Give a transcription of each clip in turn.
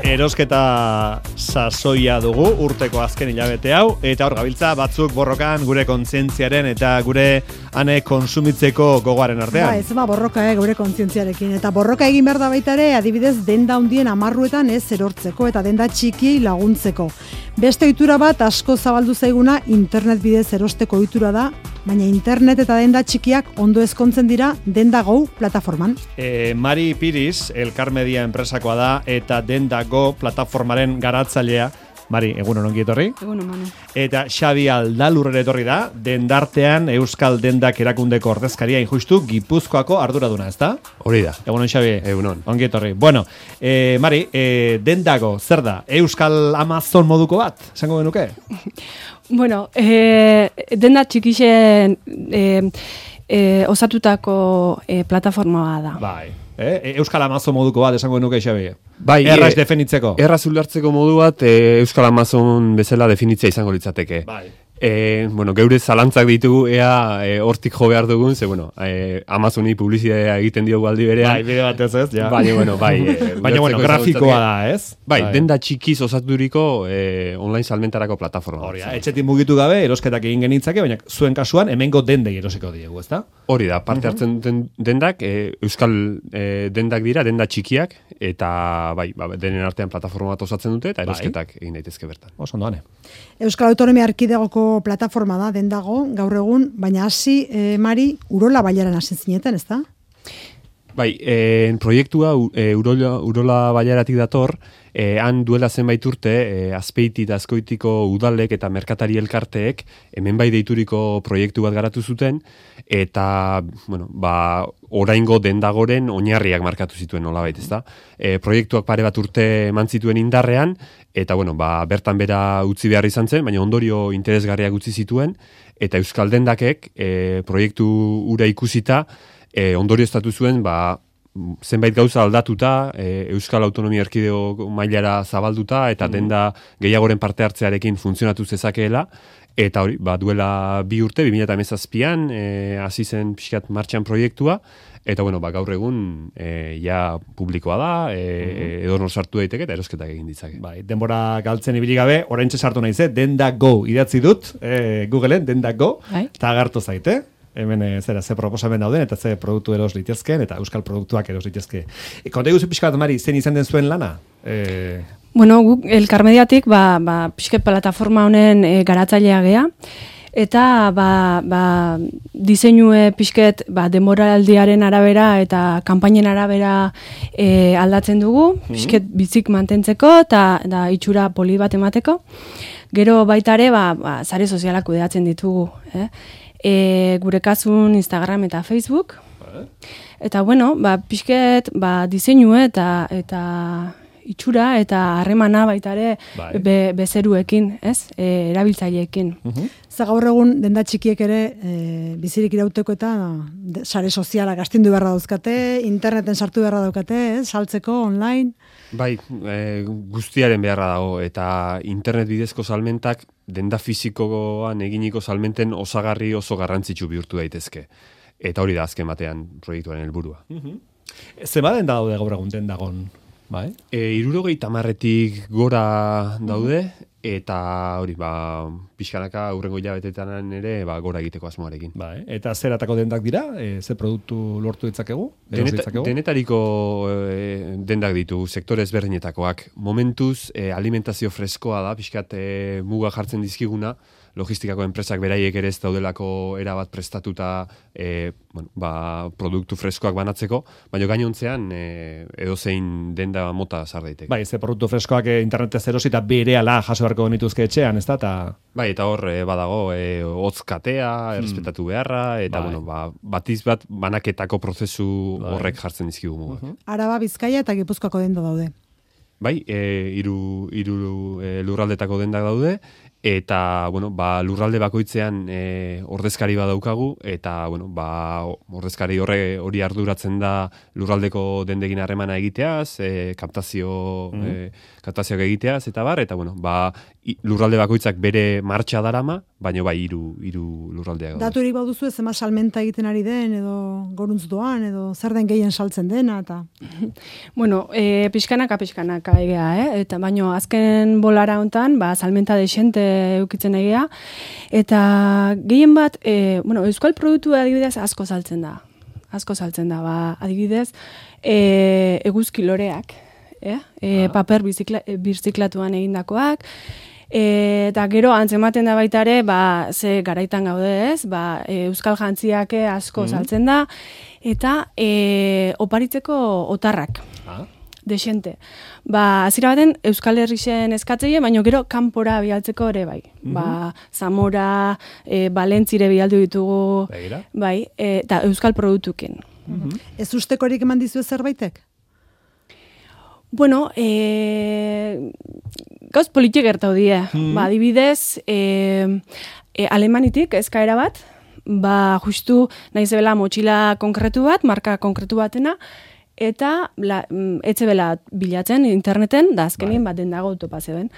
Erosketa sasoia dugu urteko azken hilabete hau, eta hor gabiltza batzuk borrokan gure kontzientziaren eta gure ane konsumitzeko gogoaren artean. Ez borroka gure kontzientziarekin, eta borroka egin behar da baita ere, adibidez denda handien amarruetan ez erortzeko eta denda txikiei laguntzeko. Beste ohitura bat asko zabaldu zaiguna internet bidez erosteko ohitura da, baina internet eta denda txikiak ondo ezkontzen dira Dendago plataforman. Mari Piris, Elkar Media enpresakoa da, eta Dendago plataformaren garatzailea. Mari, egunon ongi etorri. Egunon, Manu. Eta Xabi Aldalurrere etorri da, dendartean Euskal Dendak erakundeko ordezkaria injustu Gipuzkoako arduraduna, ezta? Hori da. Egunon, Xabi. Egunon. Ongi etorri. Bueno, Mari, Dendago, zer da? Euskal Amazon moduko bat, esango genuke? Bueno, denda txikixen osatutako plataforma da. Bai. Euskal Amazon moduko bat, esango genuke, Xabi? Bai, erraz definitzeko. Erraz ulertzeko modu bat, Euskal Amazon bezala definitzea izango litzateke. Bai. Geure zalantzak ditugu ea hortik jo behar dugun, ze Amazoni publizitatea egiten diogu aldi berean. Bai, bide batez ez, ja. Baina, grafikoa da, ez? Bai, denda txikiz osaturiko online salmentarako plataforma. Hori da, etxetik mugitu gabe, erosketak egin genitzake, baina zuen kasuan hemengo dendei erosiko diegu, ezta? Hori da, parte hartzen duten dendak, Euskal dendak dira, denda txikiak, eta bai, denen artean plataforma bat osatzen dute, eta erosketak egin daitezke bertan. Oso ondoane. Euskal Autonomia Erkidegoko plataforma da, Dendago, gaur egun, baina hasi, Mari, Urola Bailaran hasi zineten, ezta? Bai, proiektua Urola Bailaratik dator, han duela zenbait urte, Azpeiti eta Azkoitiko udalek eta merkatari elkarteek hemen bai deituriko proiektu bat garatu zuten, eta, oraingo Dendagoren oinarriak markatu zituen nolabait, ezta? Proiektuak pare bat urte eman zituen indarrean, eta, bertan bera utzi behar izan zen, baina ondorio interesgarriak utzi zituen, eta Euskal Dendakek proiektu ura ikusita, ondorio estatu zuen, zenbait gauza aldatuta, Euskal Autonomia Erkidego mailara zabalduta, eta denda gehiagoren parte hartzearekin funtzionatu zezakeela, eta hori, duela 2 urte, 2017an, hasi zen pixkat martxan proiektua, eta gaur egun ja publikoa da, edonor sartu daiteke eta erosketak egin ditzake. Bai, denbora galtzen ibili gabe, oraintxe sartu naiz, Dendago idatzi dut, Googleen, Dendago, eta agertu zaite. Hemen ze proposamen dauden, eta ze produktu eros litezken, eta euskal produktuak eros litezke. Konta iguzu pixka bat, Mari, zen izan den zuen lana? Guk Elkar Mediatik, pixket plataforma honen garatzailea gea, eta diseinue pixket denboraldiaren arabera eta kanpainen arabera aldatzen dugu, pixket bizik mantentzeko eta itxura poli bat emateko. Gero baita ere, sare sozialak kudeatzen ditugu, gure kasun Instagram eta Facebook. Eta pixket diseinue eta itxura eta harremana baita ere bezeruekin, erabiltzaileekin. Gaur egun denda txikiek ere bizirik irauteko eta sare sozialak astindu beharra dauzkate, interneten sartu beharra daukate, saltzeko online. Bai, guztiaren beharra dago, eta internet bidezko salmentak denda fizikoan eginiko salmenten osagarri oso garrantzitsu bihurtu daitezke. Eta hori da azken batean proiektuaren helburua. Zema denda daude gaur egun Dendagon? Bai? 70-tik gora daude, eta hori, pixkanaka aurrengo hilabetetan ere gora egiteko asmoarekin. Bai, eta zeratako dendak dira? Ze produktu lortu ditzakegu? Denetariko dendak ditu, sektore ezberdinetakoak. Momentuz, alimentazio freskoa da, pixkat muga jartzen dizkiguna, logistikako enpresak beraiek ere ez daudelako erabat prestatuta produktu freskoak banatzeko, baina gainontzean edozein denda mota sar daiteke. Bai, ze produktu freskoak internetez erosi eta berehala jaso beharko genituzke etxean, ezta? Bai, eta hor badago hotz katea, errespetatu beharra, eta batiz bat banaketako prozesu horrek jartzen dizkigu mugak. Araba, Bizkaia eta Gipuzkoako denda daude. Bai, hiru lurraldetako dendak daude, eta lurralde bakoitzean ordezkari badaukagu, eta ordezkari hori arduratzen da lurraldeko dendegin harremana egiteaz, kaptazioak egiteaz, eta lurralde bakoitzak bere martxa darama, baino bai hiru lurraldeak daude. Daturik baduzu zema salmenta egiten ari den, edo goruntz doan, edo zer den gehien saltzen dena, eta... Bueno, pixkanaka egea, eta baino azken bolara hontan, salmenta desente eukitzen egea, eta gehien bat, euskal produktu adibidez asko saltzen da, adibidez, eguzki loreak, paper birziklatuan egindakoak, eta gero antzematen da baita ere, ze garaitan gaude ez, euskal jantziak asko saltzen da, eta oparitzeko otarrak, desente. Hasiera baten Euskal Herrixen eskatzeie, baina gero kanpora bialtzeko ere bai. Zamora, Valentzire bialdu ditugu, bai, eta euskal produktuken. Ez ustekorik eman dizu zerbaitek? Bueno, gauz politik gertau die. Adibidez, Alemanitik eskaera bat, justu nahi zebela motxila konkretu bat, marka konkretu batena, eta etzebela bilatzen interneten, da azkenien den dago topa zeben.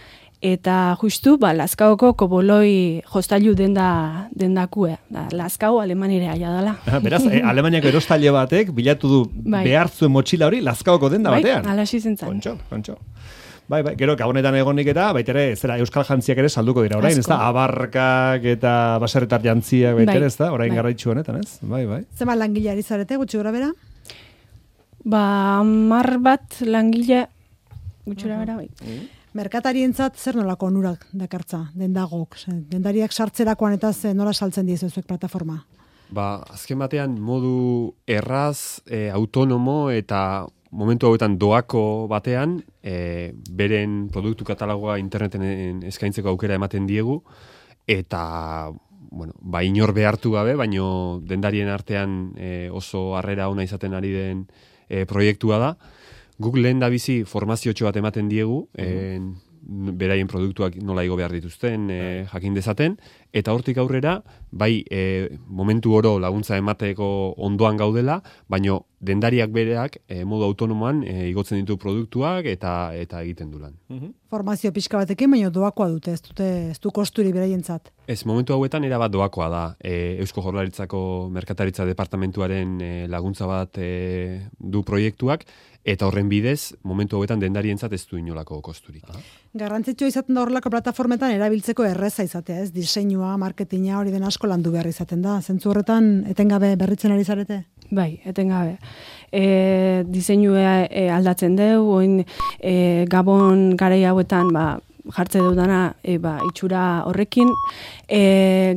Eta justu, Lazkaoko koboloi jostailu dendakue. Lazkao Alemanire aia dela. Beraz, Alemaniako erostaile batek bilatu du behar zuen motxila hori Lazkaoko denda batean. Bai, alaxi zentzen. Kontxo. Bai, gero gabonetan egonik eta baitere, zera, euskal jantziak ere salduko dira, orain, ez da? Abarkak eta baserretar jantziak baitere, ez da? Orain garraitxu honetan, ez? Bai. Zema langileari zarete, gutxi gora bera? 10 bat langile gutxi gora bera, bai. Merkatarientzat zer nolako onurak dakartza, dendagok? Dendariak sartzerakoan eta nola saltzen diezuek plataforma? Azken batean modu erraz, autonomo eta momentu hauetan doako batean, beren produktu katalogoa interneten eskaintzeko aukera ematen diegu, eta inor behartu gabe, baino dendarien artean oso harrera ona izaten ari den proiektua da. Guk lehen da bizi formaziotxo bat ematen diegu, beraien produktuak nola igo behar dituzten jakin dezaten, eta hortik aurrera, momentu oro laguntza emateko ondoan gaudela, baino dendariak bereak modu autonomoan igotzen ditu produktuak eta egiten du lan. Formazio pixka batekin, baina doakoa dute, ez du kosturi beraientzat. Ez, momentu hauetan erabat doakoa da. Eusko Jaurlaritzako Merkataritza Departamentuaren laguntza bat du proiektuak, eta horren bidez, momentu hauetan dendarientzat ez du inolako kosturik. Garrantzitsua izaten da horrelako plataformetan erabiltzeko erreza izatea, ez? Diseinua, marketinga, hori den asko landu behar izaten da. Zentzu horretan, etengabe berritzen ari zarete? Bai, etengabe. Diseinua aldatzen deu, Gabon garai hauetan, jartze dudana itxura horrekin,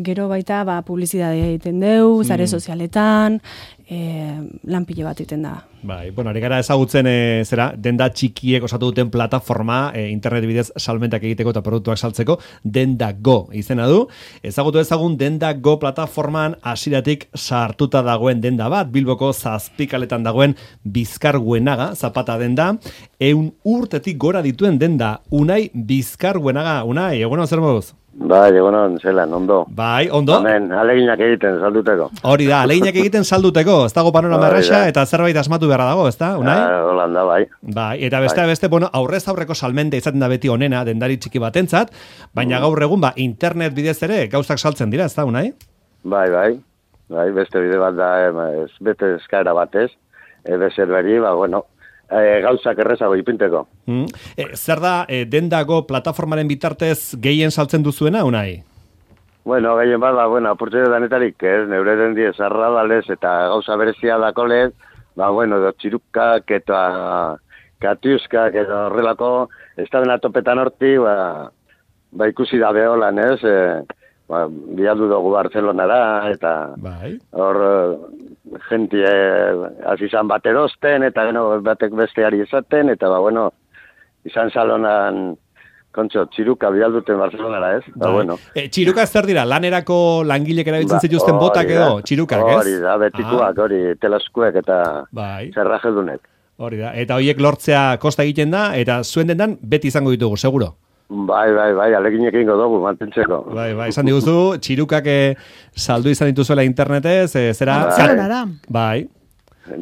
gero baita publizidadea egiten deu, zare sozialetan, lanpile bat egiten da. Bai, ari gara ezagutzen denda txikiek osatu duten plataforma internet bidez salmentak egiteko eta produktuak saltzeko, Dendago izena du. Ezagutu ezagun Dendago plataforman hasieratik sartuta dagoen denda bat, Bilboko Zazpikaletan dagoen Bizkarguenaga zapata denda, 100 urtetik gora dituen denda, Unai Bizkarguenaga. Unai, egunon zer moduz? Bai, egunon, zelan, ondo. Bai, ondo. Hemen, aleginak egiten salduteko. Hori da, aleginak egiten salduteko, ez dago panorama erraxa eta zerbait asmatu beharra dago, ez da, Unai? Holanda, bai. Bai, eta beste, aurrez aurreko salmente izaten da beti onena dendari txiki batentzat, baina gaur egun, internet bidez ere gauzak saltzen dira, ez da, Unai? Bai, beste bide bat da, bete eskaera batez, bezerberi, gauzak errezago ipinteko. Zer da, Dendago plataformaren bitartez gehien saltzen duzuena, Unai? Gehien bat, apurtze danetarik, neure dendi esarradalez eta gauza berezia dako lez, txirukak eta katiuskak eta horrelako, ez da dena topetan horti, ikusi da beholan, bialdu dugu Barcelonara, eta hor jentie azizan bat erosten, eta batek besteari esaten, eta izan salonan kontxo, txiruka bialduten Barcelonara, ez? Txiruka zer dira, lanerako langilek erabiltzen zituzten botak edo, txirukak, ez? Hori da, betikuak, hori teleskuek eta zerrajedunek. Hori da, eta horiek lortzea kosta egiten da, eta zuen dendan beti izango ditugu, seguro? Bai, aleginek ingo dugu, mantentzeko. Bai, esan diguzu, txirukak saldu izan dituzuela internetez, zera? Bai.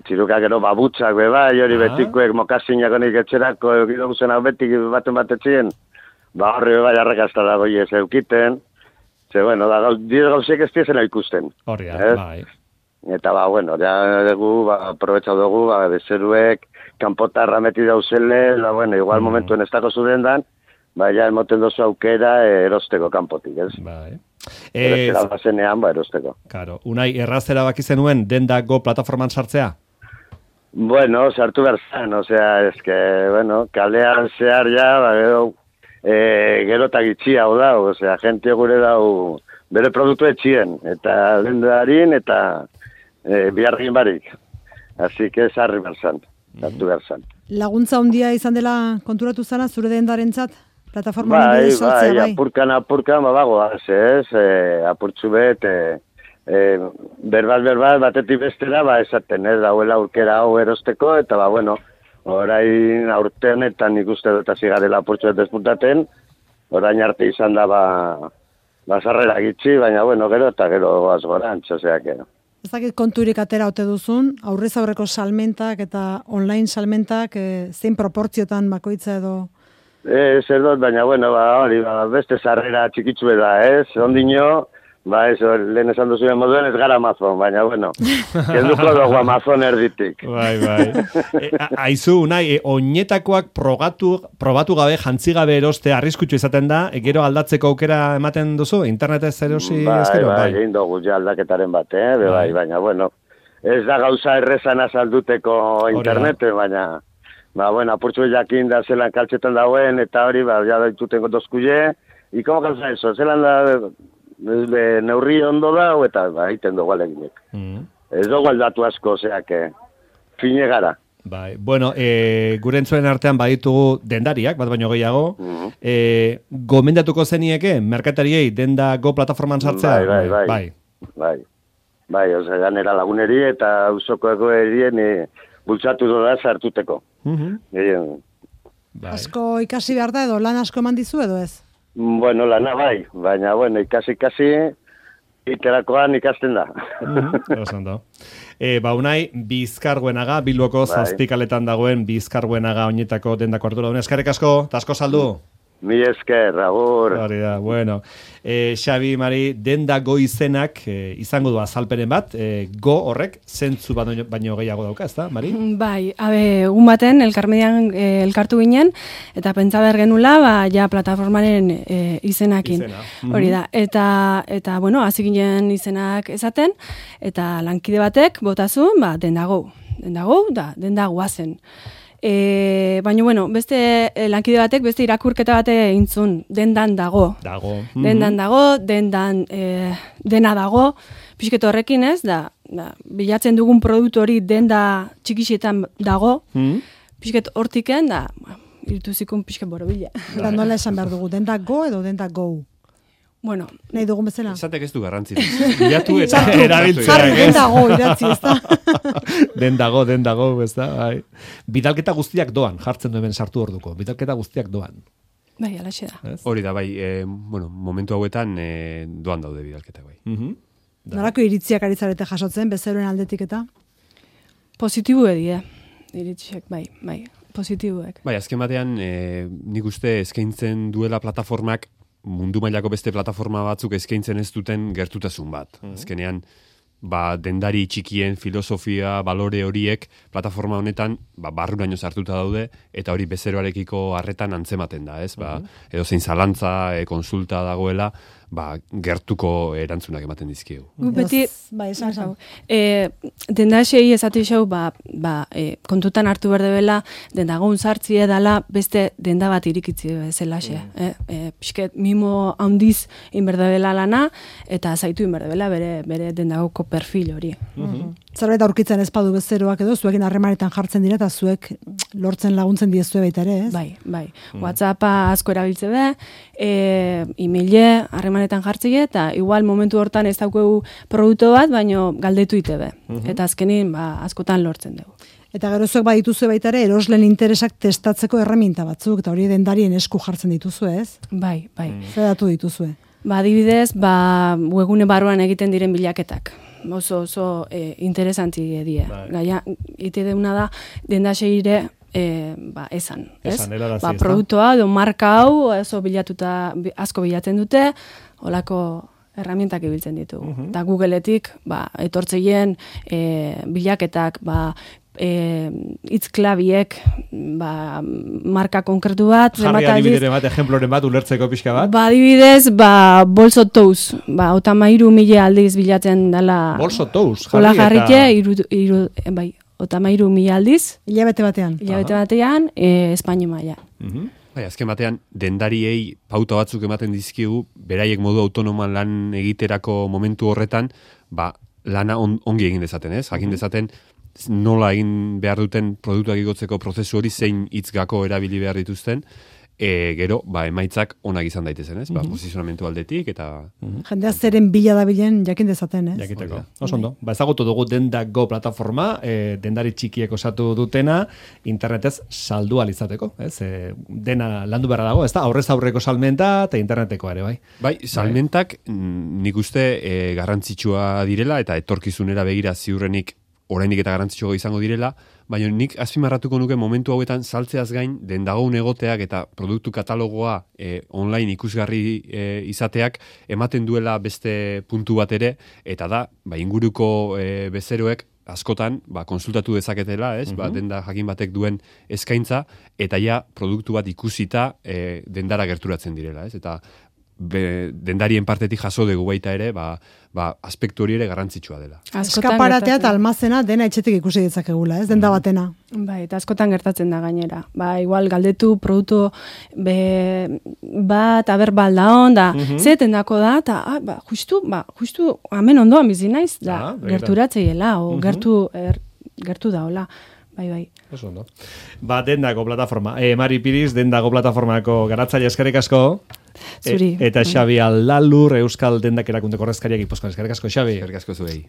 Txirukak ero babutsak, hori betikuek mokasinak honik etxerako, egidoguzen hau betik baten batetzien, horri arrakazta dago ez eukiten, Ze, bueno, gauzek ez dizena ikusten. Horria, bai. Eta, bueno, ja dugu, aprobetxau dugu, bezeruek, kanpotarra meti dauzele, bueno, igual momentuen ez dako zudendan, ja emoten dozu aukera erosteko kanpotik, ez? Bai. Erostera bazenean, erosteko. Claro, Unai, errazera baki zenuen Denda Go plataforman sartzea? Bueno, sartu behar zan, osea, bueno, kalean zehar gero eta gitxia hau da, osea, gente gure dau bere produktu etxien, eta dendarin, eta bihargin barik. Así que sarri behar zan, sartu behar zan. Laguntza handia izan dela konturatu zana, zure dendarentzat? Plataforma bidez sartzea, bai? Apurkan, bago, ez, apurtzu bet, berbal, batetik bestera, esaten, ez, dauela urkera hau erosteko, eta, bueno, orain aurten eta nik uste dut zigarela apurtzu bet despuntaten, orain arte izan da, sarrera gitxi, baina, bueno, gero eta gero azgorantz, oseak, Ez dakit konturik atera ote duzun, aurrez aurreko salmentak eta online salmentak zein proportziotan bakoitza edo? Ez dut, baina, bueno, hori, beste sarrera txikitzu da, ez? Ondino, lehen esan duzuen moduen ez gara Amazon, baina, bueno, kenduko dugu Amazon erditik. Bai. Aizu, Unai, oinetakoak probatu gabe, jantzi gabe eroste arriskutsu izaten da, gero aldatzeko aukera ematen duzu, internetez erosi ezkero? Bai, egin dugu ja aldaketaren bat, baina, bueno, ez da gauza errezan azalduteko interneten, baina, bueno, apurtzu jakin da zelan kaltzetan dauen, eta hori, ja daituten dozkuie, ikomo gauza eso, zelan da neurri ondo da, eta egiten dugu aleginek. Ez dugu aldatu asko, oseak, fine gara. Bai, bueno, gure entzuen artean baditugu dendariak, bat baino gehiago, gomendatuko zenieke, merkatariei Denda Go plataforman sartzea? Bai, ose, ganera laguneri eta usoko egoerien bultzatu doda sartuteko. Asko ikasi behar da edo, lan asko eman dizu edo ez? Bueno, lana bai, baina, bueno, ikasi, iterakoan ikasten da. Ondo. Unai, Bizkarguenaga, Bilboko zazpikaletan dagoen Bizkarguenaga oinetako Dendako ardura. Eskerrik asko, eta asko saldu. Mi esker, agur. Hori da, bueno. Xabi, Mari, Denda Go izenak izango du azalperen bat, Go horrek zentzu baino gehiago dauka, ez da, Mari? Bai, un baten, elkarmedian elkartu ginen, eta pentsa behar genula, ja plataformaren izenakin. Hori da, eta bueno, hasi ginen izenak esaten, eta lankide batek botazun, Denda Go, da, Denda Goazen. Baina, bueno, beste lankide batek, beste irakurketa bate intzun, dendan dago. Dendan dago, dena dago, pixket horrekin ez, da, bilatzen dugun produktu hori denda txikixetan dago, pixket hortiken, da, irtuzikun pixket borobila. Da, nola esan behar dugu, Denda Go edo Denda Go? Bueno, nahi dugun bezala. Esatek ez du garrantzirik. Bilatu eta erabiltzea. Denda Go idatzi, ez da? Denda Go, ez da? Bidalketa guztiak doan, jartzen du hemen sartu orduko. Bidalketa guztiak doan. Bai, alaxe da. Hori da, bai, momentu hauetan doan daude bidalketa, bai. Norako iritziak aritzarete jasotzen, bezeroen aldetik eta? Positibu edie, iritziak, bai, positibuek. Bai, azken batean, nik uste eskaintzen duela plataformak mundu mailako beste plataforma batzuk eskaintzen ez duten gertutasun bat. Azkenean, dendari txikien filosofia, balore horiek plataforma honetan barruraino sartuta daude, eta hori bezeroarekiko harretan antzematen da, ez? Edo zein zalantza, konsulta dagoela, gertuko erantzunak ematen dizkiegu. Beti, dendasei esatu xau, kontutan hartu berdebela, dendagun sartzi edala beste denda bat irikitzi bezalaxe. Pisket mimo handiz inberdebela lana, eta zaitu inberdebela bere dendagoko perfil hori. Zerbait aurkitzen ezpadu bezeroak edo, zuekin harremanetan jartzen dira, eta zuek lortzen laguntzen diezue baita ere, ez? Bai. WhatsAppa asko erabiltze be, e-maile harremanetan jartzea, eta igual momentu hortan ez daukegu produktu bat, baino galdetu ite be. Eta azkenin, askotan lortzen dugu. Eta gero zuek badituzue baita ere, erosleen interesak testatzeko erreminta batzuk, eta hori dendarien esku jartzen dituzue, ez? Bai. Zer datu dituzue? Adibidez, webgune barruan egiten diren bilaketak. Oso interesantzi die. Gaia, ite deuna da, dendaseire esan. Produktua edo marka hau, oso bilatuta, asko bilatzen dute, olako herramientak ibiltzen ditugu. Eta Googleetik, etortzeien bilaketak, itzklabiek, marka konkretu bat, jarri adibidere bat, ejemploren bat, ulertzeko pixka bat. Adibidez, bolso touz, 33.000 aldiz bilatzen dela. Bolso touz, jarri 33.000 aldiz. Hilabete batean. Espainia maila. Bai, azken batean, dendariei pauta batzuk ematen dizkigu, beraiek modu autonoman lan egiterako momentu horretan, lana ongi egin dezaten, ez? Jakin dezaten, nola egin behar duten produktuak igotzeko prozesu hori, zein hitzgako erabili behar dituzten, gero, emaitzak onak izan daitezen, ez? Posizionamentu aldetik, eta... Jendea zeren bila da bilen jakin dezaten, ez? Jakiteko. Oso ondo. Ezagutu dugu Denda.go plataforma, dendari txikiek osatu dutena, internetez saldu alizateko, ez? Dena landu beharra dago, ez da? Aurrez aurreko salmenta eta interneteko ere, bai? Bai, salmentak nik uste garrantzitsua direla, eta etorkizunera begira ziurrenik orainik eta garrantzitsua izango direla, baina nik azpimarratuko nuke momentu hauetan saltzeaz gain dendagoun egoteak eta produktu katalogoa online ikusgarri izateak ematen duela beste puntu bat ere, eta da, inguruko bezeroek askotan, konsultatu dezaketela, ez? Denda jakin batek duen eskaintza, eta ja produktu bat ikusita dendara gerturatzen direla, ez? Eta dendarien partetik jaso dugu baita ere, aspektu hori ere garrantzitsua dela. Eskaparatea eta almazena dena etxetik ikusi ditzakegula, ez? Denda batena. Eta askotan gertatzen da gainera. Igual galdetu produktu bat aber da onda, zeten dako da, eta justu hemen ondoan bizi naiz, da gerturatzeiela, o gertu da, hola. Bai. Oso ondo. Dendako plataforma. Mari Piriz, Dendako plataformako garatzaile eskerrik asko. Zuri. Eta Xabi Aldalur, Euskal Dendak erakundeko ordezkariak Gipuzkoan. Eskerrik asko, Xabi. Eskerrik asko zuei.